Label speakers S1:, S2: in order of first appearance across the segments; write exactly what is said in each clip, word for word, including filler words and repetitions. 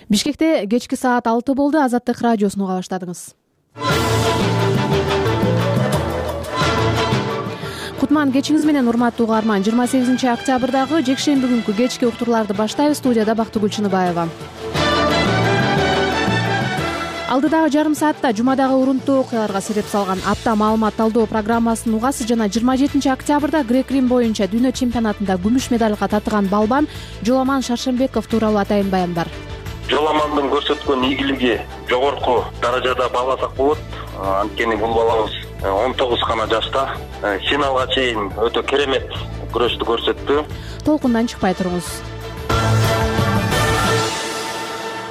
S1: Бишкекте кечки саат алты болду. Азаттык радиосун уга баштадыңыз. Кутман кечиңиз менен, урматтуу угарман. жыйырма сегизинчи октябрдагы жекшемби күнкү кечки уктурларды баштайбыз. Студияда Бактыгүл Чыныбаева. Алдыдагы жарым саатта жумадагы урунттуу окуяларга себеп салган апта маалымат талдоо программасын угасыз жана жыйырма жетинчи октябрда грек-рим боюнча дүйнө чемпионатында күмүш медалга татыган балбан Жоламан Шаршембеков тууралуу атайын баяндар.
S2: Жоламандын көрсөткөн ийгилиги жогорку даражада бааласак болот. Анткени бул балабыз он тогуз гана жашта финалга чейин өтө керемет күрөштү көрсөттү.
S1: Толкундан чыкпай туруңуз.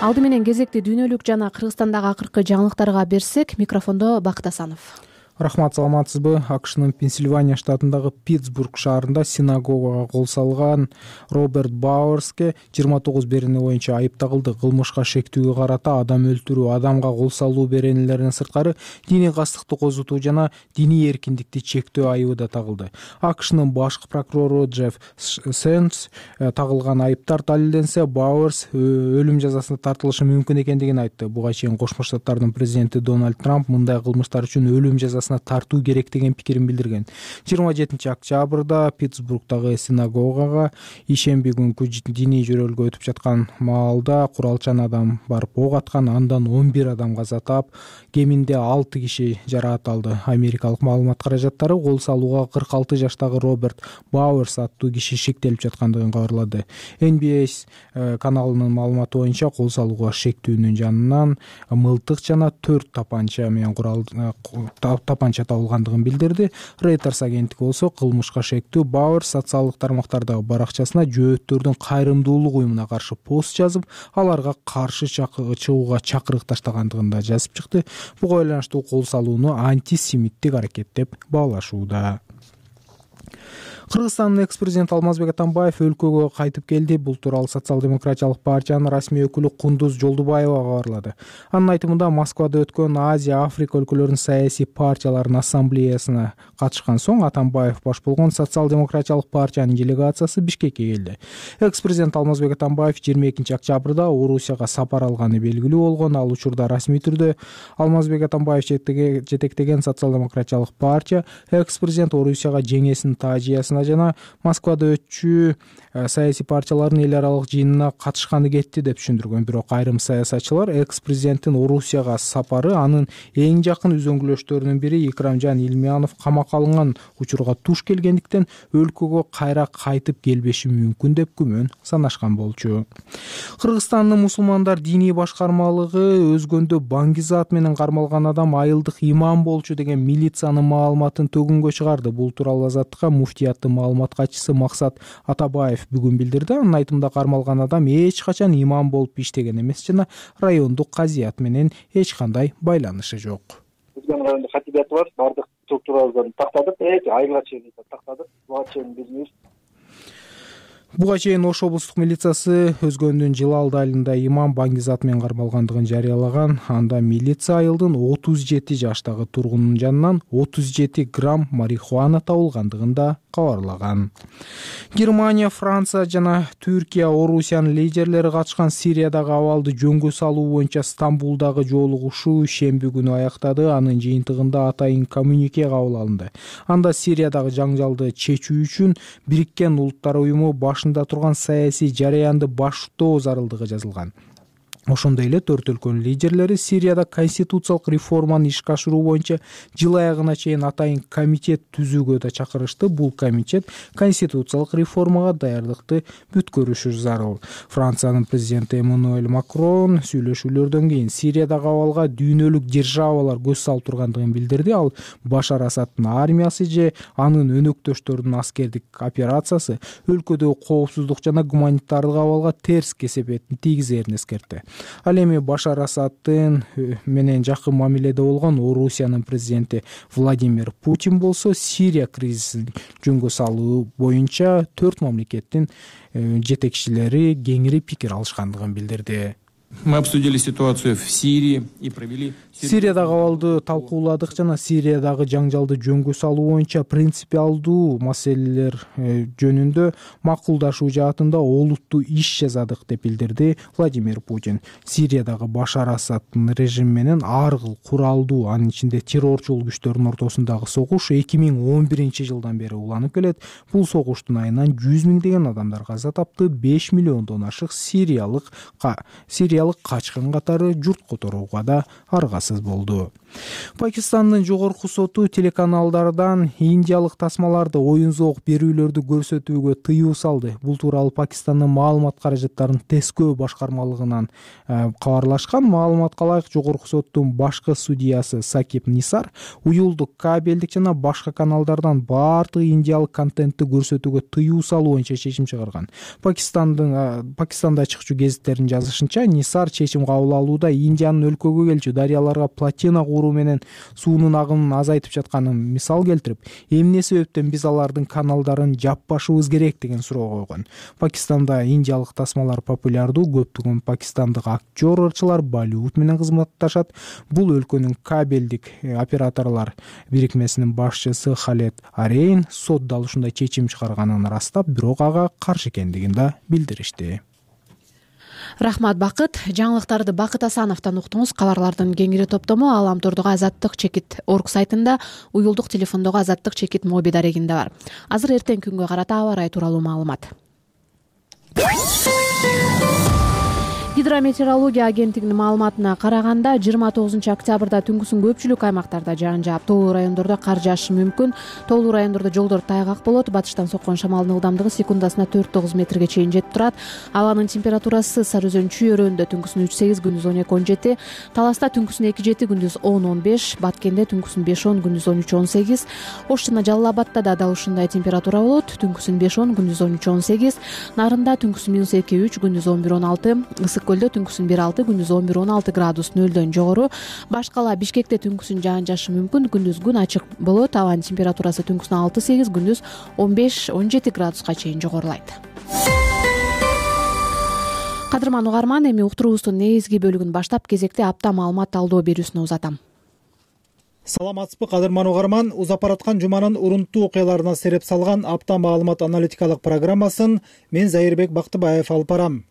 S1: Алды менен кезекти дүйнөлүк жана Кыргызстандагы акыркы жаңылыктарга берсек, микрофондо Бакыт Асанов.
S3: Рахмат, саламатсызбы? АКШнын Пенсильвания штатындагы Питтсбург шаарында синагогага кол салган Роберт Бауэрске жыйырма тогуз берене боюнча айып тагылды. Кылмышка шектүүгө карата адам өлтүрүү, адамга кол салуу беренелеринен сырткары диний кастыкты козутуу жана диний эркиндикти чектөө айыбы да тагылды. АКШнын башкы прокурору Джефф Сенс тагылган айыптар далилденсе, Бауэрс өлүм жазасына тартылышы мүмкүн экендигин айтты. Буга чейин Кошмо Штаттардын президенти Дональд Трамп мындай кылмыштар үчүн өлүм жазасы тартуу керек деген пикирин билдирген. жыйырма жетинчи октябрда Питтсбургдагы синагогага ишемби күнкү диний жөрөлгө өтүп жаткан маалда куралчан адам барып ок аткан, андан он бир адам каза таап, кеминде алты киши жараат алды. Америкалык маалымат каражаттары кол салууга кырк алты жаштагы Роберт Бауэрс аттуу киши шектелип жаткандыгын кабарлады. Эн Би Эс каналынын маалыматы боюнча кол салууга шектүүнүн жанынан мылтык жана төрт тапанча менен курал тапанча табылгандыгын билдирди. Reuters агенттиги болсо кылмышка шектүү Бауэрс социалдык тармактардагы баракчасына жөөттөрдүн кайрымдуулук уюмуна каршы пост жазып, аларга каршы чыгууга чакырык таштагандыгын да жазып чыкты. Буга байланыштуу кол салууну антисемиттик аракет деп баалашууда. Кыргызстандын экс-президенти Алмазбек Атамбаев өлкөгө кайтып келди. Бул тууралуу Социал-демократиялык партиянын расмий өкүлү Кундуз Жолдубаева кабарлады. Анын айтымында, Москвада өткөн Азия, Африка өлкөлөрүнүн саясий партияларынын ассамблеясына катышкан соң Атамбаев баш болгон Социал-демократиялык партиянын делегациясы Бишкекке келди. Экс-президент Алмазбек Атамбаев жыйырма экинчи октябрда Орусияга сапар алганы белгилүү болгон. Ал учурда расмий түрдө Алмазбек Атамбаев жетектеген Социал-демократиялык партия экс-президент Орусияга жеңесин таажиясына жана Москвада өтчү саясий партиялардын эл аралык жыйынына катышканы кетти деп түшүндүргөн. Бирок айрым саясатчылар экс-президенттин Орусияга сапары анын эң жакын үзөңгүлөштөрүнүн бири Икрамжан Илмиянов камакка алынган учурга туш келгендиктен өлкөгө кайра кайтып келбеши мүмкүн деп күмөн санашкан болчу. Кыргызстандын мусулмандар диний башкармалыгы өзгөндө Баңгизат менен кармалган адам айылдык имам болчу деген милициянын маалыматын төгүнгө чыгарды. Бул тууралуу Азаттыкка муфтияттын маалымат катчысы Максат Атабаев бүгүн билдирди. Анын айтымында, кармалган адам эч качан имам болуп иштеген эмес жана райондук казият менен эч кандай байланышы жок.
S4: Биздин райондо хатибят бар, бардык структуралардан тактадык, эч айылга чейин тактадык. Буга чейин билбейбиз.
S3: Буга чейин Ош облустук милициясы өзгөндүн жылы алды айылында имам Баңгизат менен кармалгандыгын жарыялаган. Анда милиция айылдын отуз жети жаштагы тургунунун жанынан отуз жети грамм марихуана табылгандыгын да кабарлаган. Германия, Франция жана Түркия, Орусиянын лидерлери катышкан Сириядагы абалды жөнгө салуу боюнча Стамбулдагы жолугушуу шемби күнү аяктады. Анын жыйынтыгында атайын коммюнике кабыл алынды. Анда Сириядагы жаңжалды чечүү үчүн Бириккен Улуттар уюму башында турган саясий жараянды баштоо зарылдыгы жазылган. Ошондой эле төрт өлкөнүн лидерлери Сирияда конституциялык реформаны ишке ашыруу боюнча жыл аягына чейин атайын комитет түзүүгө да чакырышты. Бул комитет конституциялык реформага даярдыкты бүткөрүшү зарыл. Франциянын президенти Эммануэль Макрон сүйлөшүүлөрдөн кийин Сириядагы абалга дүйнөлүк державалар көз салып тургандыгын билдирди. Ал Башар Асадтын армиясы же анын өнөктөштөрүнүн аскердик операциясы өлкөдөгү коопсуздук жана гуманитардык абалга терс кесепетин тийгизерин эскертти. Ал эми Башар Асадтын менен жакын мамиледе болгон Орусиянын президенти Владимир Путин болсо Сирия кризисин жөнгө салуу боюнча төрт мамлекеттин жетекчилери кеңири пикир алышкандыгын билдирди.
S5: Мы обсудили ситуацию в Сирии и провели
S3: Сириядагы абалды талкууладык жана Сириядагы жаңжалды жөнгө салуу боюнча принципиалдуу маселелер жөнүндө макулдашуу жаатында олуттуу иш жасадык деп билдирди Владимир Путин. Сириядагы Башар Асаддын режими менен ар кыл куралдуу, анын ичинде террорчул күчтөрдүн ортосундагы согуш эки миң он биринчи жылдан бери уланып келет. Бул согуштун айынан жүз миңдеген адамдар каза тапты, беш миллиондон ашык сириялык сириялык качкын катары журт которууга да аргасыз болду. Пакистандын жогорку соту телеканалдардан индиялык тасмаларды оюн зоок берүүлөрдү көрсөтүүгө тыюу салды. Бул тууралуу Пакистандын маалымат каражаттарын тескөө башкармалыгынан кабарлашкан. Маалыматка ылайык, жогорку соттун башкы судьясы Сакиб Нисар уюлдук, кабелдик жана башка каналдардан баардык индиялык контентти көрсөтүүгө тыюу салуу боюнча чечим чыгарган. Пакистандын Пакистанда чыкчу гезиттердин жазышынча, Нисар чечим кабыл алууда Индиянын өлкөгө келчү дарыяларга плотина куруу менен суунун агымын азайтып жатканын мисал келтирип, эмне себептен биз алардын каналдарын жаппашыбыз керек деген суроо койгон. Пакистанда индиялык тасмалар популярдуу, көптөгөн пакистандык актер, ырчылар Болливуд менен кызматташат. Бул өлкөнүн кабелдик операторлор бирикмесинин башчысы Халед Арейн сот дал ушундай чечим чыгарганын ырастап, бирок ага каршы экендигин да билдиришти.
S1: Рахмат, Бакыт. Жаңылыктарды Бакыт Асановдон уктуңуз. Кабарлардын кеңири топтому Аламтордогу Азаттык чекит орг сайтында, уюлдук телефондогу Азаттык чекит моби дарегинде бар. Азыр эртең күнгө карата аба ырайы тууралуу маалымат. Гидрометеорология агенттигинин маалыматына караганда, жыйырма тогузунчу октябрда түнкүсүн көпчүлүк аймактарда жаан жаап, тоолуу райондордо кар жаашы мүмкүн. Тоолуу райондордо жолдор тайгак болот. Батыштан соккон шамалдын ылдамдыгы секундасына төрт тогуз метрге чейин жетип турат. Абанын температурасы Сары Өзөн чүйөрөндө түнкүсүн үч сегиз, күндүз он эки он жети, Таласта түнкүсүн эки жети, күндүз он он беш, Баткенде түнкүсүн беш он, күндүз он үч он сегиз, Ош жана Жалал Абадта да дал ушундай температура болот. Түнкүсүн беш он, күндүз он үч он сегиз, Нарында түнкүсүн минус эки үч, күндүз он бир он алты, Ысык Көлдө түнкүсүн бир алты, күндүз он бир он алты градус нөлдөн жогору. Башкала Бишкекте түнкүсүн жаан жаашы мүмкүн, күндүз күн ачык болот. Абанын температурасы түнкүсүн алты сегиз, күндүз он беш он жети градуска чейин жогорулайт. Кадырман угарман, эми уктуруубуздун негизги бөлүгүн баштап, кезекте апта маалымат талдоо берүүсүнө узатам.
S6: Саламатсызбы, кадырман угарман. Узап бараткан жуманын урунттуу окуяларына сереп салган апта маалымат аналитикалык программасын мен Зайырбек Бактыбаев алып барам.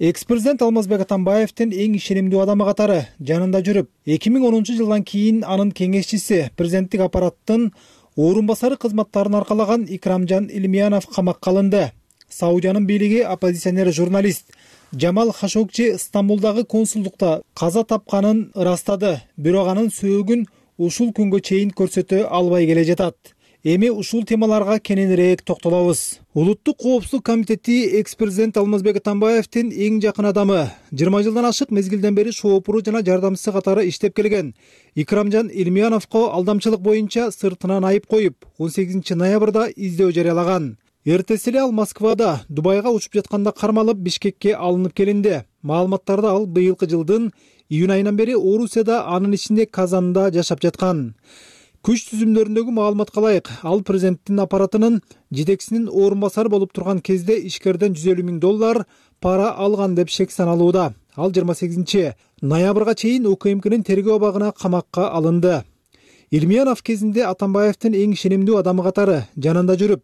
S6: Экс-президент Алмазбек Атамбаевдин эң ишенимдүү адамы катары жанында жүрүп, эки миң онунчу жылдан кийин анын кеңешчиси, президенттик аппараттын орун басары кызматтарын аркалаган Икрамжан Илмиянов камакка алынды. Саудиянын бийлиги оппозиционер журналист Жамал Хашогчи Стамбулдагы консулдукта каза тапканын ырастады, бирок анын сөөгүн ушул күнгө чейин көрсөтө албай келе жатат. Эми ушул темаларга кененирээк токтолобуз. Улуттук коопсуздук комитети экс-президент Алмазбек Атамбаевдин эң жакын адамы, жыйырма жылдан ашык мезгилден бери шоопуру жана жардамчысы катары иштеп келген Икрамжан Илмияновго алдамчылык боюнча сыртынан айып коюп, он сегизинчи ноябрда издөө жарыялаган. Эртеси эле ал Москвада Дубайга учуп жатканда кармалып, Бишкекке алынып келинди. Маалыматтарда ал быйылкы жылдын июнь айынан бери Орусияда, анын ичинде Казанда жашап жаткан. Күч түзүмдөрүндөгү маалыматка ылайык, ал президенттин аппаратынын жетекчисинин орун басары болуп турган кезде ишкерден жүз элүү миң доллар пара алган деп шек саналууда. Ал жыйырма сегизинчи ноябрга чейин УКМКнын тергөө абагына камакка алынды. Илмиянов кезинде Атамбаевдин эң ишенимдүү адамы катары жанында жүрүп,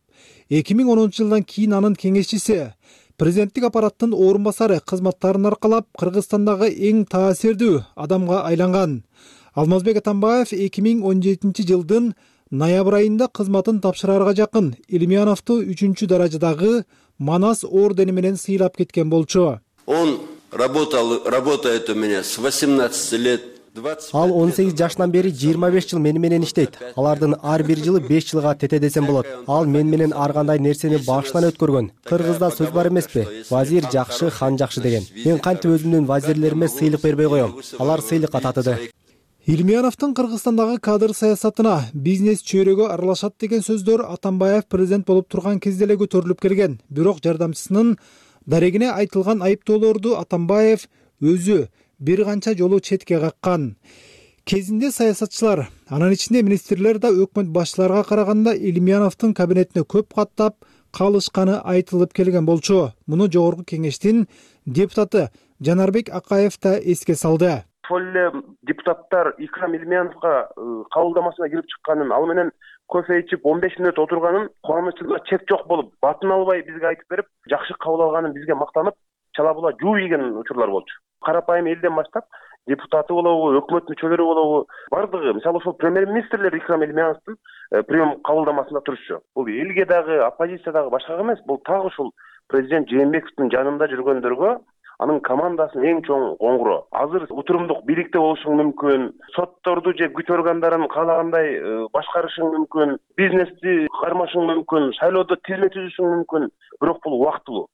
S6: эки миң онунчу жылдан кийин анын кеңешчиси, президенттик аппараттын орун басары кызматтарын аркалап, Кыргызстандагы эң таасирдүү адамга айланган. Алмазбек Атамбаев эки миң он жетинчи жылдын ноябрь айында кызматын тапшыраарга жакын Илмияновду үчүнчү даражадагы Манас ордени менен сыйлап кеткен болчу.
S7: Он работал, работает у меня с восемнадцати лет.
S8: Ал он сегиз жашынан бери жыйырма беш жыл мени менен иштейт. Алардын ар бир жылы беш жылга тете десем болот. Ал мен менен ар кандай нерсени башынан өткөргөн. Кыргызда сөз бар эмеспи? Вазир жакшы, хан жакшы деген. Мен кантип өзүмдүн вазирлериме сыйлык бербей коем. Алар сыйлыкка татыды.
S6: Илмияновдун Кыргызстандагы кадр саясатына, бизнес чөйрөгө аралашат деген сөздөр Атамбаев президент болуп турган кезде эле көтөрүлүп келген. Бирок жардамчысынын дарегине айтылган айыптоолорду Атамбаев өзү бир канча жолу четке каккан. Кезинде саясатчылар, анын ичинде министрлер да өкмөт башчыларга караганда Илмияновдун кабинетине көп каттап калышканы айтылып келген болчу. Муну жогорку кеңештин депутаты Жанарбек Акаев да эске салды.
S9: Ошол эле депутаттар Икрам Илимяновго кабылдамасына кирип чыкканын, ал менен кофе ичип он беш мүнөт отурганын, кубанычыбызга чек жок болуп, батын албай бизге айтып берип, жакшы кабыл алганын бизге мактанып, чала була жууп ийген учурлар болчу. Карапайым элден баштап депутаты болобу, өкмөт мүчөлөрү болобу, бардыгы, мисалы ошол премьер-министрлер Икрам Илимяновдун прием кабылдамасында турушчу. Бул элге дагы, оппозиция дагы башкага эмес, бул так ушул президент Жээнбековдун жанында жүргөндөргө, анын командасынын эң чоң коңгуроо. Азыр утурумдук бийликте болушуң мүмкүн, сотторду же күч органдарын каалагандай башкарышың мүмкүн, бизнести кармашың мүмкүн, шайлоодо тизме түзүшүң мүмкүн, бирок бул убактылуу.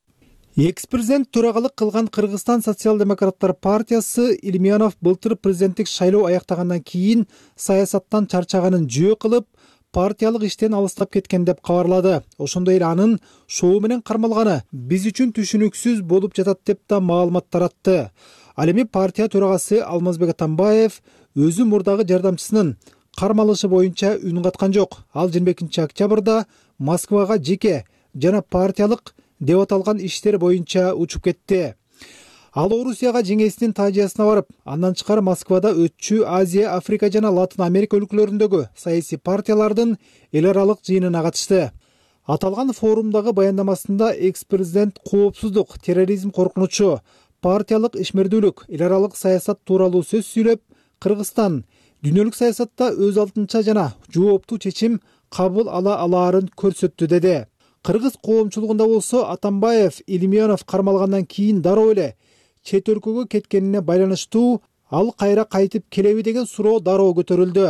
S6: Экс-президент төрагалык кылган Кыргызстан социал-демократтар партиясы Илимянов былтыр президенттик шайлоо аяктагандан кийин саясаттан чарчаганын жөө кылып, партиялык иштен алыстап кеткен деп кабарлады. Ошондой эле анын шоу менен кармалганы биз үчүн түшүнүксүз болуп жатат деп да маалымат таратты. Ал эми партия төрагасы Алмазбек Атамбаев өзү мурдагы жардамчысынын кармалышы боюнча үн каткан жок. Ал жыйырма экинчи октябрда Москвага жеке жана партиялык деп аталган иштер боюнча учуп кетти. Ал Орусияга жеңесинин таажиясына барып, андан тышкары Москвада өтчү Азия, Африка жана Латын Америка өлкөлөрүндөгү саясий партиялардын эл аралык жыйынына катышты. Аталган форумдагы баяндамасында экс-президент коопсуздук, терроризм коркунучу, партиялык ишмердүүлүк, эл аралык саясат тууралуу сөз сүйлөп, Кыргызстан дүйнөлүк саясатта өз алдынча жана жооптуу чечим кабыл ала алаарын көрсөттү деди. Кыргыз коомчулугунда болсо Атамбаев Илимянов кармалгандан кийин дароо эле чет өлкөгө кеткенине байланыштуу ал кайра кайтып келеби деген суроо дароо көтөрүлдү.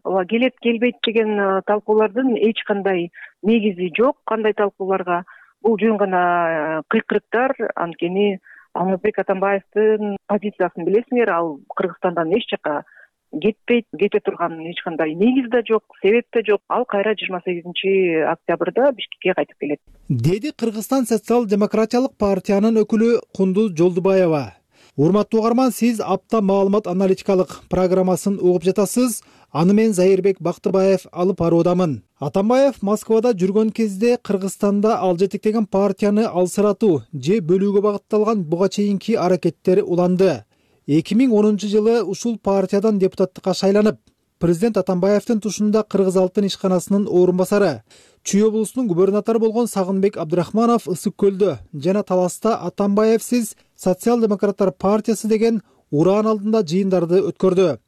S10: Ооба, келет келбейт деген талкуулардын эч кандай негизи жок. Кандай талкууларга? Бул жөн гана кыйкырыктар. Анткени Алмазбек Атамбаевдин позициясын билесиңер, ал Кыргызстандан эч жака кетпейт, кете турган эч кандай негиз да жок, себеп да жок. Ал кайра жыйырма сегизинчи октябрда Бишкекке кайтып келет,
S6: деди Кыргызстан социал-демократиялык партиянын өкүлү Кундуз Жолдубаева. Урматтуу угарман, сиз апта маалымат аналитикалык программасын угуп жатасыз. Аны мен Зайырбек Бактыбаев алып баруудамын. Атамбаев Москвада жүргөн кезде Кыргызстанда ал жетектеген партияны алсыратуу же бөлүүгө багытталган буга чейинки аракеттери уланды. эки миң онунчу жылы ушул партиядан депутаттыкка шайланып, президент Атамбаевдин тушунда Кыргыз Алтын ишканасынын орун басары, Чүй облусунун губернатору болгон Сагынбек Абдрахманов Ысык көлдө жана Таласта Атамбаевсиз социал-демократтар партиясы деген ураан алдында жыйындарды өткөрдү.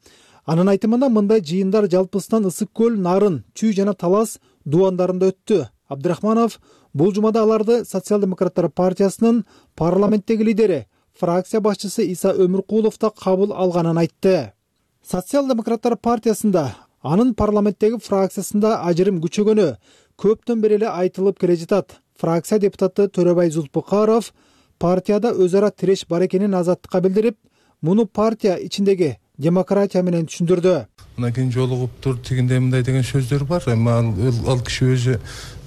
S6: Анын айтымында мындай жыйындар жалпысынан Ысык көл, Нарын, Чүй жана Талас дубандарында өттү. Абдрахманов бул жумада аларды социал-демократтар партиясынын парламенттеги лидери, фракция башчысы Иса Өмүркулов да кабыл алганын айтты. Социал-демократтар партиясында, анын парламенттеги фракциясында ажырым күчөгөнү көптөн бери эле айтылып келе жатат. Фракция депутаты Төрөбай Зулпукаров партияда өз ара тиреш бар экенин азаттыкка билдирип, муну партия ичиндеги демократия менен түшүндүрдү.
S11: Андан кийин жолугуптур, тигиндей мындай деген сөздөр бар. Эми ал киши өзү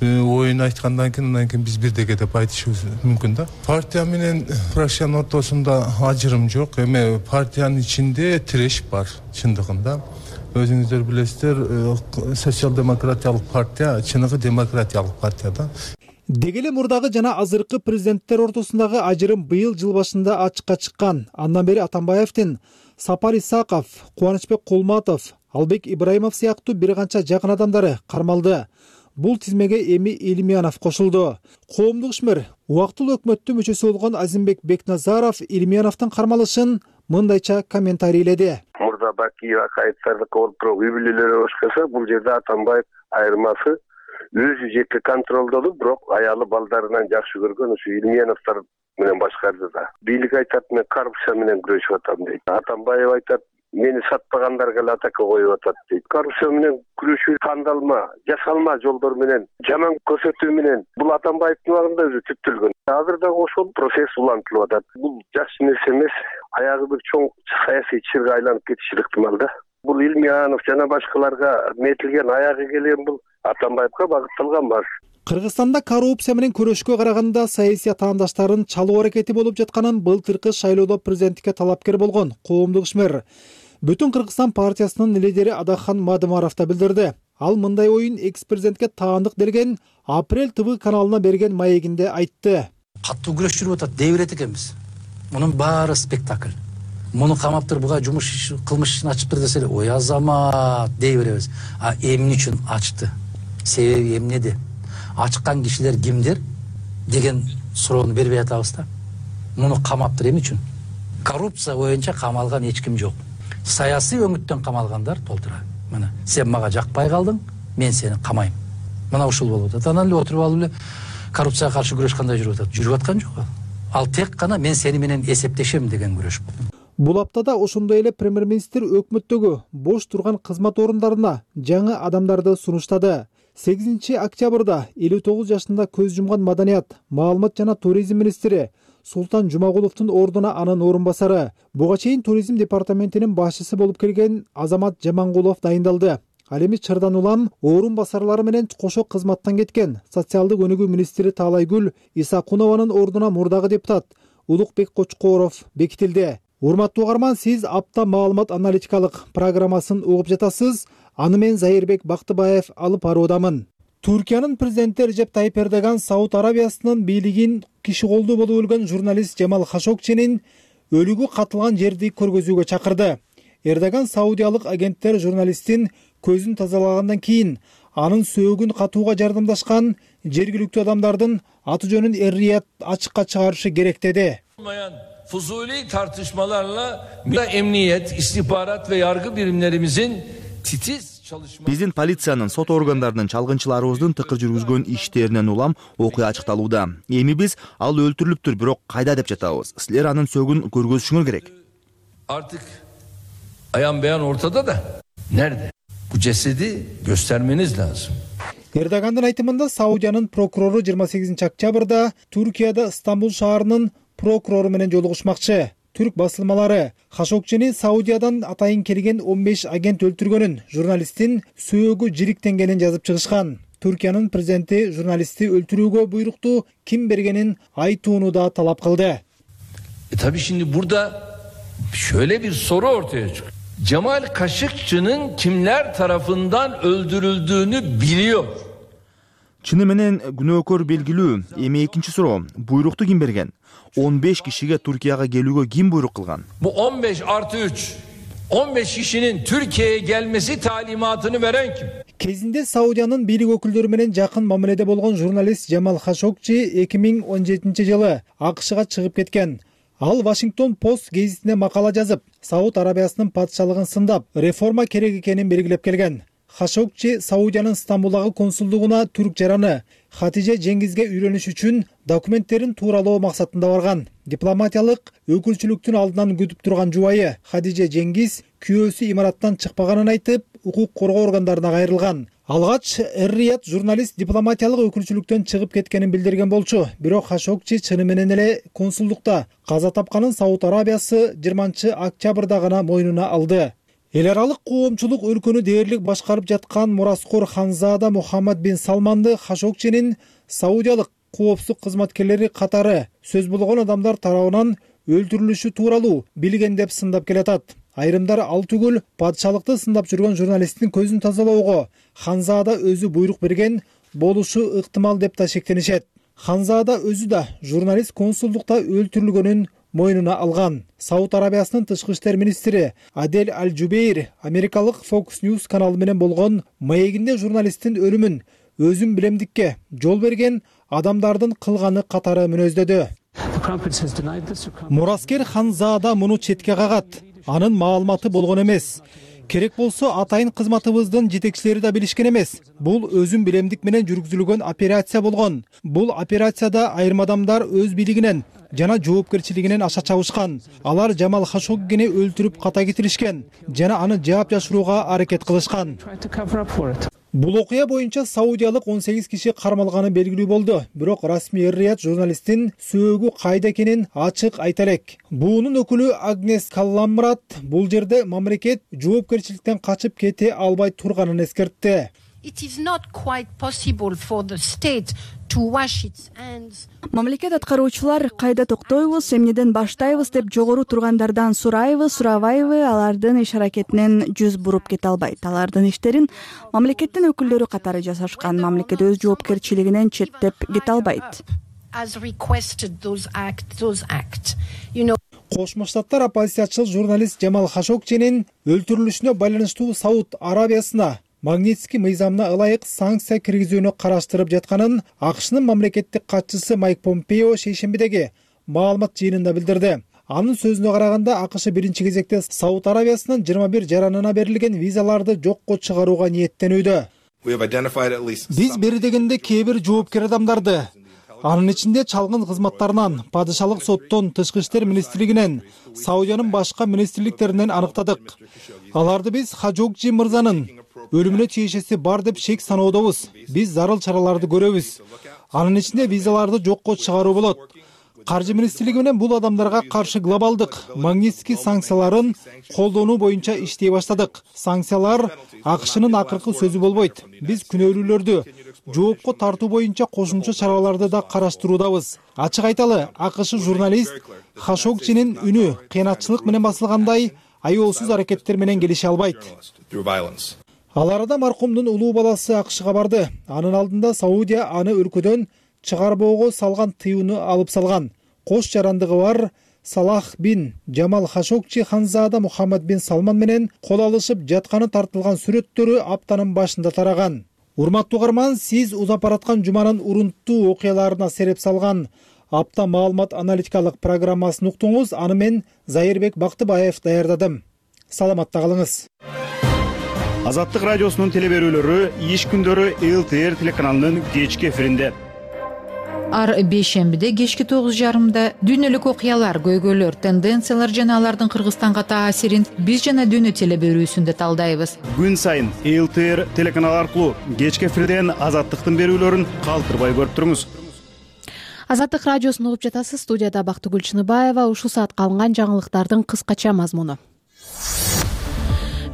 S11: оюн айткандан кийин андан кийин биз бирдеге деп айтышыбыз мүмкүн да. Партия менен фракциянын ортосунда ажырым жок. Эми партиянын ичинде тиреш бар чындыгында. Өзүңүздөр билесиздер, социал-демократиялык партия чыныгы демократиялык партия да.
S6: Деги эле мурдагы жана азыркы президенттер ортосундагы ажырым быйыл жыл башында ачыкка чыккан. Андан бери Атамбаевдин Сапар Исаков, Кубанычбек Кулматов, Албек Ибраимов сыяктуу бир канча жакын адамдары кармалды. Бул тизмеге эми Илимянов кошулду. Коомдук ишмер, убактылуу өкмөттүн мүчөсү болгон Азимбек Бекназаров Илимяновдун кармалышын мындайча комментарийледи.
S9: Мурда Бакиев Акаевдерди коруп туруп үй бүлөлөрү башкаса, бул жерде Атамбаев айырмасы өзү жеке контролдоду, бирок аялы балдарынан жакшы көргөн ушу Илимяновдор менен башкарды да. Бийлик айтат, мен коррупция менен күрөшүп атам дейт. Атамбаев айтат, мени сатпагандарга эле атака коюп атат дейт. Коррупция менен күрөшүү кандалма, жасалма жолдор менен, жаман көрсөтүү менен бул Атамбаевдин убагында өзү түптөлгөн. Азыр дагы ошол процесс улантылып атат. Бул жакшы нерсе эмес, аягы бир чоң саясий чырга айланып кетиши ыктымал да. Бул Илимянов жана башкаларга метилген аягы келген бул Атамбаевга багытталган бар.
S6: Кыргызстанда коррупция менен күрөшкө караганда саясий атаандаштарын чалуу аракети болуп жатканын былтыркы шайлоодо президенттикке талапкер болгон коомдук ишмер Бүтүн Кыргызстан партиясынын лидери Адахан Мадымаров да билдирди. Ал мындай оюн экс-президентке таандык берген Апрель ТВ каналына берген маегинде айтты.
S12: Каттуу күрөш жүрүп атат, дей берет экенбиз. Мунун баары спектакль. Муну камаптыр, буга жумуш кылмыш ишин ачыптыр деселе, ой азамат дей беребиз. А эмне үчүн ачты? Себеби эмнеде? Ачкан кишилер кимдер деген суроону бербей атабыз да. Муну камаптыр эмне үчүн? Коррупция боюнча камалган эч ким жок. Саясий өңүттөн камалгандар толтура. Мына, сен мага жакпай калдың, мен сени камайм. Мына ушул болуп атат. Анан эле отуруп алып эле коррупцияга каршы күрөш кандай жүрүп атат? Жүрүп аткан жок. Ал тек гана мен сени менен эсептешем деген күрөш.
S6: Бул аптада ошондой эле премьер-министр өкмөттөгү бош турган кызмат орундарына жаңы адамдарды сунуштады. сегизинчи октябрда элүү тогуз жашында көз жумган маданият, маалымат жана туризм министри Султан Жумагуловдун ордуна анын орун басары, буга чейин туризм департаментинин башчысы болуп келген Азамат Жамангулов дайындалды. Ал эми чырдан улам орун басарлары менен кошо кызматтан кеткен социалдык өнүгүү министри Таалайгүл Исакунованын ордуна мурдагы депутат Улукбек Кочкоров бекитилди. Урматтуу угарман, сиз апта маалымат аналитикалык программасын угуп жатасыз. Аны мен Зайырбек Бактыбаев алып баруудамын. Туркиянын президенти Режеп Тайип Эрдоган Сауд Арабиясынын бийлигин киши колдуу болуп өлгөн журналист Жамал Хашогчинин өлүгү катылган жерди көргөзүүгө чакырды. Эрдоган саудиялык агенттер журналисттин көзүн тазалагандан кийин анын сөөгүн катууга жардамдашкан жергиликтүү адамдардын аты жөнүн эр-Рият ачыкка чыгарышы керек деди.
S13: Fuzuli tartışmalarla emniyet, istihbarat ve yargı birimlerimizin titiz çalışma...
S14: Биздин полициянын, сот органдарынын, чалгынчыларыбыздын тыкыр жүргүзгөн иштеринен улам окуя ачыкталууда. Эми биз ал өлтүрүлүптүр, бирок кайда деп жатабыз. Силер анын сөөгүн көргөзүшүңөр керек.
S13: Artık ayan beyan ortada da nerede? Bu cesedi göstermeniz lazım.
S6: Эрдогандын айтымында Саудиянын прокурору жыйырма сегизинчи октябрда Туркияда Стамбул шаарынын прокурору менен жолугушмакчы. Түрк басылмалары Хашогчини Саудиядан атайын келген он беш агент өлтүргөнүн, журналисттин сөөгү жириктенгенин жазып чыгышкан. Туркиянын президенти журналистти өлтүрүүгө буйрукту ким бергенин айтууну да талап кылды.
S13: E tabii şimdi burada şöyle bir soru ortaya çıkıyor. Cemal Kaşıkçı'nın kimler tarafından öldürüldüğünü biliyor.
S14: Чыны менен күнөөкөр белгилүү. Эми экинчи суроо, буйрукту ким берген? он беш кишиге Туркияга келүүгө ким буйрук кылган?
S13: Bu on beş artı üç, on beş kişinin Türkiye'ye gelmesi talimatını veren kim?
S6: Кезинде Саудиянын бийлик өкүлдөрү менен жакын мамиледе болгон журналист Жамал Хашогчи эки миң он жетинчи жылы АКШга чыгып кеткен. Ал Вашингтон Пост гезитине макала жазып, Сауд Арабиясынын патшалыгын сындап, реформа керек экенин белгилеп келген. Хашогчи Саудиянын Стамбулдагы консулдугуна түрк жараны Хатиже Жеңгизге үйлөнүш үчүн документтерин тууралоо максатында барган. Дипломатиялык өкүлчүлүктүн алдынан күтүп турган жубайы Хатиже Жеңгиз күйөөсү имараттан чыкпаганын айтып, укук коргоо органдарына кайрылган. Алгач эр-Рият журналист дипломатиялык өкүлчүлүктөн чыгып кеткенин билдирген болчу. Бирок Хашогчи чыны менен эле консулдукта каза тапканын Сауд Арабиясы жыйырманчы октябрда гана мойнуна алды. Эл аралык коомчулук өлкөнү дээрлик башкарып жаткан мураскор Ханзада Мухаммад бин Салманды Хашогчинин саудиялык коопсуздук кызматкерлери катары сөз болгон адамдар тарабынан өлтүрүлүшү тууралуу билген деп сындап келатат. Айрымдар ал түгүл патшалыкты сындап жүргөн журналисттин көзүн тазалоого Ханзада өзү буйрук берген болушу ыктымал деп да шектенишет. Ханзада өзү да журналист консулдукта өлтүрүлгөнүн мойнуна алган. Сауд Арабиясынын тышкы иштер министри Адель Аль-Жубейр америкалык Fox News каналы менен болгон маегинде журналисттин өлүмүн өзүн билемдикке жол берген адамдардын кылганы катары мүнөздөдү. Мураскер Ханзада муну четке кагат. Анын маалыматы болгон эмес. Керек болсо атайын кызматыбыздын жетекчилери да билишкен эмес. Бул өзүн билемдик менен жүргүзүлгөн операция болгон. Бул операцияда айрым адамдар өз билигинен жана жоопкерчилигинен аша чабышкан. Алар Жамал Хашоггини өлтүрүп ката кетиришкен жана аны жаап жашырууга аракет кылышкан. Бул окуя боюнча саудиялык он сегиз киши кармалганы белгилүү болду. Бирок расмий эр-Рият журналисттин сөөгү кайда экенин ачык айта элек. Буунун өкүлү Агнес Калламрат бул жерде мамлекет жоопкерчиликтен качып кете албай турганын эскертти.
S15: It is not quite possible for the state to wash its hands.
S16: Мамлекет аткаруучулар кайда токтойбуз, эмнеден баштайбыз деп жогору тургандардан сурайбы, сурабайбы, алардын иш аракетинен жүз буруп кете албайт. Алардын иштерин мамлекеттин өкүлдөрү катары жасашкан. Мамлекет өз жоопкерчилигинен четтеп кете албайт.
S15: As requested those act, those act. You know.
S6: Кошмо Штаттар оппозициячыл журналист Жамал Хашокчинин өлтүрүлүшүнө байланыштуу Сауд Арабиясына Магнитский мыйзамына ылайык санкция киргизүүнү караштырып жатканын АКШнын мамлекеттик катчысы Майк Помпео шейшембидеги маалымат жыйынында билдирди. Анын сөзүнө караганда, АКШ биринчи кезекте Сауд Арабиясынын жыйырма бир жаранына берилген визаларды жокко чыгарууга ниеттенүүдө. Биз бери дегенде кээ бир жоопкер адамдарды, анын ичинде чалгын кызматтарынан, падышалык соттон, тышкы иштер министрлигинен, Саудиянын башка министрликтеринен аныктадык. Аларды биз Хашокчи мырзанын өлүмүнө тиешеси бар деп шек саноодобуз. Биз зарыл чараларды көрөбүз. Анын ичинде визаларды жокко чыгаруу болот. Каржы министрлиги менен бул адамдарга каршы глобалдык Магнитский санкцияларын колдонуу боюнча иштей баштадык. Санкциялар АКШнын акыркы сөзү болбойт. Биз күнөөлүүлөрдү жоопко тартуу боюнча кошумча чараларды да караштыруудабыз. Ачык айталы, АКШ журналист Хашокчинин үнү кыянатчылык менен басылгандай аеолсуз аракеттер менен келише албайт. Ал арада маркумдун улуу баласы АКШга барды. Анын алдында Саудия аны өлкөдөн чыгарбоого салган тыюуну алып салган. Кош жарандыгы бар Салах бин Жамал Хашокчи ханзада Мухаммад бин Салман менен кол алышып жатканы тартылган сүрөттөрү аптанын башында тараган. Урматтуу угарман, сиз узап бараткан жуманын урунттуу окуяларына сереп салган апта маалымат аналитикалык программасын уктуңуз. Аны мен Зайырбек Бактыбаев даярдадым. Саламатта калыңыз.
S17: Азаттык радиосунун телеберүүлөрү иш күндөрү эл ти эр телеканалынын кечки эфиринде.
S18: Ар бейшембиде кечки тогуз жарымда дүйнөлүк окуялар, көйгөйлөр, тенденциялар жана алардын Кыргызстанга таасирин биз жана дүйнө телеберүүсүндө талдайбыз.
S17: Күн сайын эл ти эр телеканалы аркылуу кечки эфирден Азаттыктын берүүлөрүн калтырбай көрүп туруңуз.
S1: Азаттык радиосун угуп жатасыз. Студияда Бактыгүл Чыныбаева. Ушул саатка алынган жаңылыктардын кыскача мазмуну.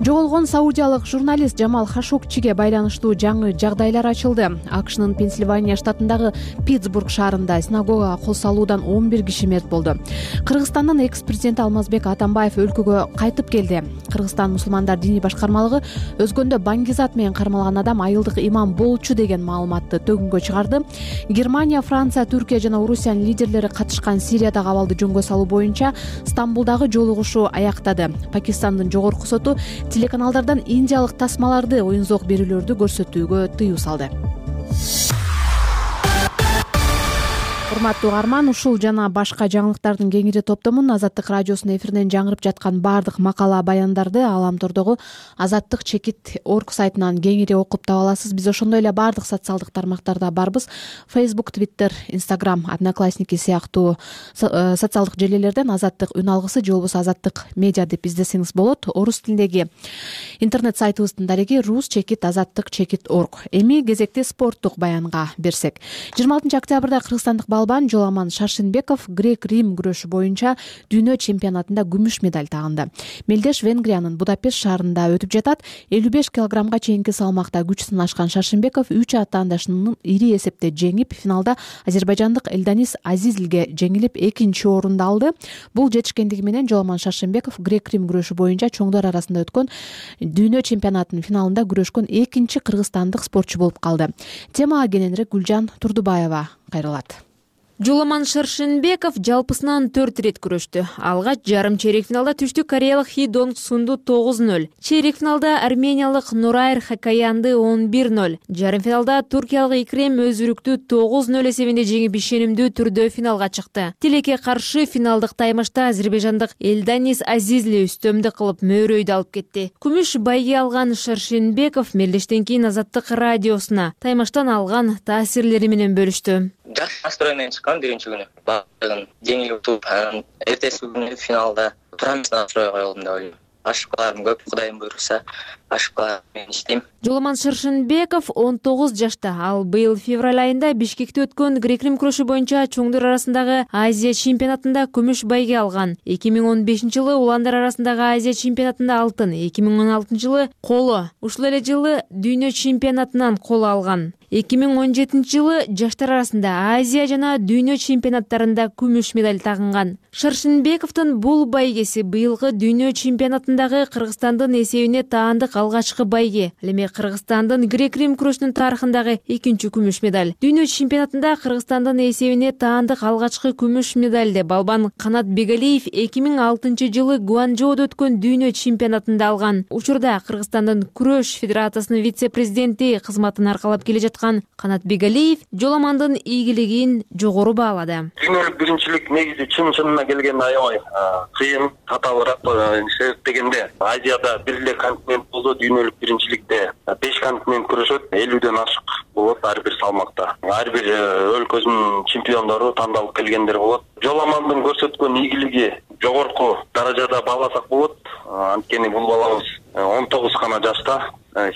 S1: Жоголгон саудиялык журналист Жамал Хашокчиге байланыштуу жаңы жагдайлар ачылды. АКШнын Пенсильвания штатындагы Питтсбург шаарында синагогага кол салуудан он бир киши мерт болду. Кыргызстандын экс-президенти Алмазбек Атамбаев өлкөгө кайтып келди. Кыргызстан мусулмандар диний башкармалыгы өзгөндө Баңгизат менен кармалган адам айылдык имам болчу деген маалыматты төгүнгө чыгарды. Германия, Франция, Түркия жана Орусиянын лидерлери катышкан Сириядагы абалды жөнгө салуу боюнча Стамбулдагы жолугушуу аяктады. Пакистандын жогорку соту телеканалдардан индиялык тасмаларды, оюнзок берүүлөрдү көрсөтүүгө тыюу салды. Урматтуу угарман, ушул жана башка жаңылыктардын кеңири топтомун Азаттык радиосунун эфиринен жаңырып жаткан баардык макала баяндарды Аламтордогу азаттык чекит точка орг сайтынан кеңири окуп таба аласыз. Биз ошондой эле баардык социалдык тармактарда барбыз. Facebook, Twitter, Instagram, Одноклассники сыяктуу социалдык желилерден Азаттык үн алгысы же болбосо Азаттык медиа деп издесеңиз болот. Орус тилиндеги интернет сайтыбыздын дареги рус чекит азаттык чекит точка орг. Эми кезекти спорттук баянга берсек. жыйырма алтынчы октябрда кыргызстандык балбан Жоламан Шаршенбеков грек-рим күрөшү боюнча дүйнө чемпионатында күмүш медаль тагынды. Мелдеш Венгриянын Будапешт шаарында өтүп жатат. элүү беш килограммга чейинки салмакта күч сынашкан Шаршенбеков үч атаандашынын ири эсепте жеңип, финалда азербайжандык Элданис Азизилге жеңилип экинчи орунду алды. Бул жетишкендиги менен Жоламан Шаршенбеков грек-рим күрөшү боюнча чоңдор арасында өткөн дүйнө чемпионатынын финалында күрөшкөн экинчи кыргызстандык спортчу болуп калды. Темага кененирээк Гүлжан Турдубаева кайрылат.
S19: Жоламан Шаршенбеков жалпысынан төрт ирет күрөштү. Алгач жарым чейрек финалда түштүк кореялык Хи Донг Сунду тогуз ноль. Чейрек финалда армениялык Нурайр Хакаянды он бир ноль. Жарым финалда туркиялык Икрем Өзүрүктү тогуз ноль эсебинде жеңип ишенимдүү түрдө финалга чыкты. Тилекке каршы финалдык таймашта азербайжандык Элданис Азизли үстөмдүк кылып мөөрөйдү алып кетти. Күмүш байге алган Шаршенбеков мелдештен кийин Азаттык радиосуна таймаштан алган таасирлери менен бөлүштү.
S20: Жакшы настроенмен чыккан биринчи күнү. Баардыгын жеңилип утуп, анан эртеси күнү финалда турамыз настрой коелдум деп ойлойм. Ашыкаларым көп, Кудайым буйруса, ашыкалар менен иштейм.
S19: Жоламан Шаршенбеков он тогуз жашта. Ал быйыл февраль айында Бишкекте өткөн грек-рим күрөшү боюнча чоңдор арасындагы Азия чемпионатында күмүш байге алган. эки миң он бешинчи жылы уландар арасындагы Азия чемпионатында алтын, эки миң он алтынчы жылы коло, ушул эле жылы дүйнө чемпионатынан коло алган. эки миң он жетинчи жылы жаштар арасында Азия жана дүйнө чемпионаттарында күмүш медаль тагынган. Шаршенбековдун бул байгеси быйылкы дүйнө чемпионатындагы Кыргызстандын эсебине таандык алгачкы байге. Ал эми Кыргызстандын грек-рим күрөшүнүн тарыхындагы экинчи күмүш медаль. Дүйнө чемпионатында Кыргызстандын эсебине таандык алгачкы күмүш медальди балбан Канат Бегалиев эки миң алтынчы жылы Гуанчжоудо өткөн дүйнө чемпионатында алган. Учурда Кыргызстандын күрөш федерациясынын вице-президенти кызматын аркалап келе жаткан Канат Бегалиев жоламандын ийгилигин жогору баалады.
S2: Дүйнөлүк биринчилик негизи чын-чынына келгенде аябай кыйын, татаалыраак себептегенде Азияда бир эле континент болсо, дүйнөлүк биринчиликте беш континент күрөшөт, элүүдөн ашык болот ар бир салмакта. Ар бир өлкөсүнүн чемпиондору тандалып келгендер болот. Жоламандын көрсөткөн ийгилиги жогорку даражада бааласак болот. Анткени бул балабыз он тогуз гана жашта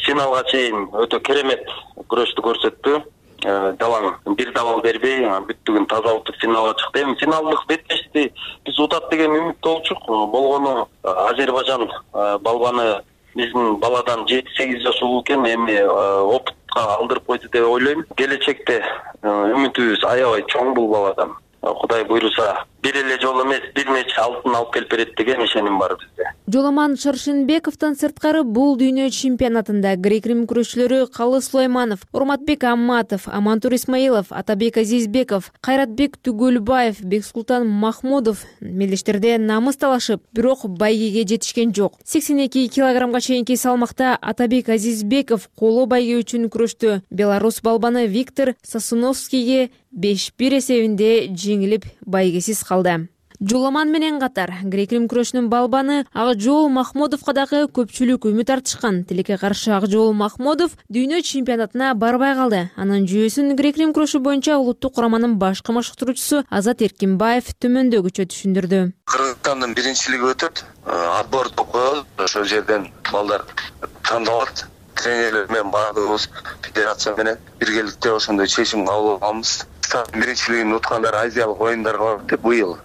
S2: финалга чейин өтө керемет күрөштү көрсөттү. Далаң бир дабал бербей, бүттүгүн таза утуп финалга чыкты. Эми финалдык беттешти биз утат деген үмүттө болчук. Болгону Азербайжан балбаны биздин баладан жети сегиз жаш улуу экен, эми опытка алдырып койду деп ойлойм. Келечекте үмүтүбүз аябай чоң бул баладан. Кудай буйруса бир эле жолу эмес, бир нече алтын алып келип берет деген ишеним бар бизде.
S19: Жоламан Шаршенбековдон сырткары бул дүйнө чемпионатында грек-рим күрөшчүлөрү Калы Сулайманов, Урматбек Амматов, Амантур Исмаилов, Атабек Азизбеков, Кайратбек Түгөлбаев, Бексултан Махмудов мелдештерде намыс талашып, бирок байгеге жетишкен жок. сексен эки килограммга чейинки салмакта Атабек Азизбеков коло байге үчүн күрөштү. Белорус балбаны Виктор Сосуновскийге беш бир эсебинде жеңилип байгесиз калды. Жоламан менен катар грек-рим күрөшүнүн балбаны Акжол Махмудовго дагы көпчүлүк үмүт артышкан. Тилекке каршы Акжол Махмудов дүйнө чемпионатына барбай калды. Анын жүйөсүн грек-рим күрөшү боюнча улуттук кураманын башкы машыктыруучусу Азат Эркинбаев төмөндөгүчө түшүндүрдү.
S21: Кыргызстандын биринчилиги өтөт, отбор коёлот, ошол жерден балдар тандалат. Тренерлер менен баардыгыбыз федерация менен биргеликте ошондой чечим кабыл алганбыз. Биринчилигин уткандар азиялык оюндарга барат деп, быйыл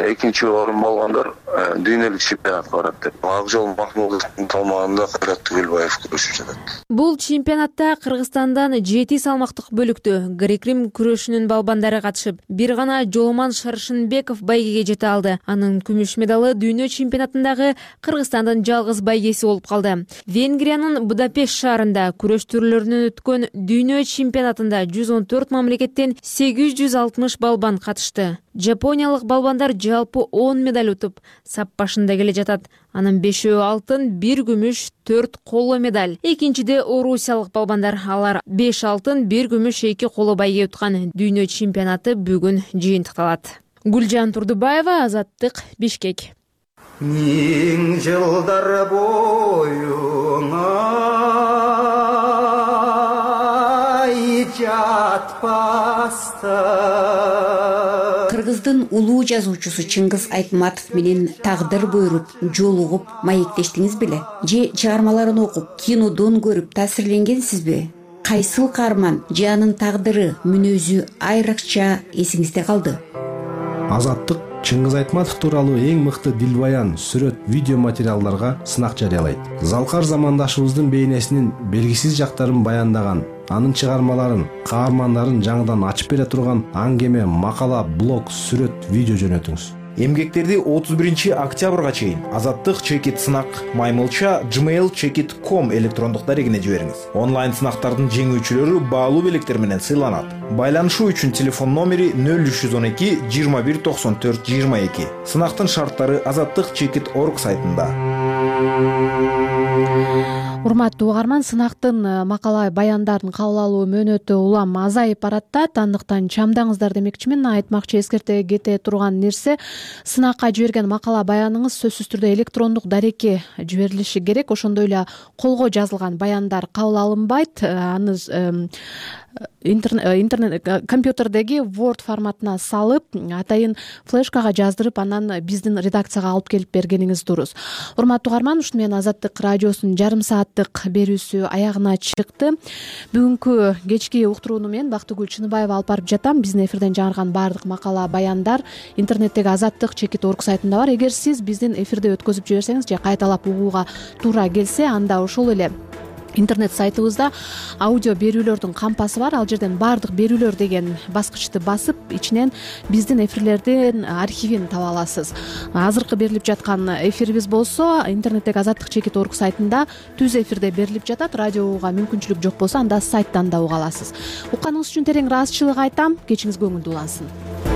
S21: экинчи орун болгондор дүйнөлүк чемпионатка барат деп. Акжол Махмудовдун салмагында Кайрат Түгөлбаев күрөшүп жатат.
S19: Бул чемпионатта Кыргызстандан жети салмактык бөлүктө грек-рим күрөшүнүн балбандары катышып, бир гана Жоламан Шаршенбеков байгеге жете алды. Анын күмүш медалы дүйнө чемпионатындагы Кыргызстандын жалгыз байгеси болуп калды. Венгриянын Будапешт шаарында күрөш түрлөрүнөн өткөн дүйнө чемпионатында жүз он төрт мамлекеттен сегиз жүз алтымыш балбан катышты. Жапониялык балбандар жалпы он медаль утуп, сап башында келе жатат. Анын бешөө алтын, бир күмүш, төрт коло медаль. Экинчиде орусиялык балбандар, алар беш алтын, бир күмүш, эки коло байге уткан. Дүйнө чемпионаты бүгүн жыйынтыкталат. Гүлжан Турдубаева, Азаттык, Бишкек.
S22: Миң жылдар боюңа
S23: Кыргыздын улуу жазуучусу Чыңгыз Айтматов менен тагдыр буйруп, жолугуп, маектештиңиз беле? Же чыгармаларын окуп, кинодон көрүп таасирленгенсизби? Кайсыл каарман же анын тагдыры, мүнөзү айрыкча эсиңизде калды?
S24: Азаттык Чыңгыз Айтматов тууралуу эң мыкты дилбаян, сүрөт, видео материалдарга сынак жарыялайт. Залкар замандашыбыздын бейнесинин белгисиз жактарын баяндаган, анын чыгармаларын, каармандарын жаңыдан ачып бере турган аңгеме, макала, блог, сүрөт, видео жөнөтүңүз. Эмгектерди отуз биринчи октябрга чейин Азаттык чекит сынак маймылча gmail chekit точка com электрондук дарегине жибериңиз. Онлайн сынактардын жеңүүчүлөрү баалуу белектер менен сыйланат. Байланышуу үчүн телефон номери нөл үч жүз он эки жыйырма бир токсон төрт жыйырма эки. Сынактын шарттары азаттык чекит точка орг сайтында.
S1: Урматтуу угарман, сынактын макала баяндарын кабыл алуу мөөнөтү улам азайып баратат. Андыктан чамдаңыздар демекчимин. Айтмакчы, эскерте кете турган нерсе, сынакка жиберген макала баяныңыз сөзсүз түрдө электрондук дарекке жиберилиши керек. Ошондой эле колго жазылган баяндар кабыл алынбайт. Аны интернет компьютердеги Word форматына салып, атайын флешкага жаздырып, анан биздин редакцияга алып келип бергениңиз дурус. Урматтуу угарман, ушуну менен Азаттык радиосунун жарым сааттык берүүсү аягына чыкты. Бүгүнкү кечки уктурууну мен Бактыгүл Чыныбаева алып барып жатам. Биздин эфирден жарган баардык макала баяндар интернеттеги азаттык чекит точка орг сайтында бар. Эгер сиз биздин эфирде өткөзүп жиберсеңиз же кайталап угууга туура келсе, анда ошол эле интернет сайтыбызда аудио берүүлөрдүн кампасы бар. Ал жерден баардык берүүлөр деген баскычты басып, ичинен биздин эфирлердин архивин таба аласыз. Азыркы берилип жаткан эфирибиз болсо интернеттеги Азаттык чекит орг сайтында түз эфирде берилип жатат. Радио угууга мүмкүнчүлүк жок болсо анда сайттан да уга аласыз. Укканыңыз үчүн терең ыраазычылык айтам. Кечиңиз көңүлдүү улансын.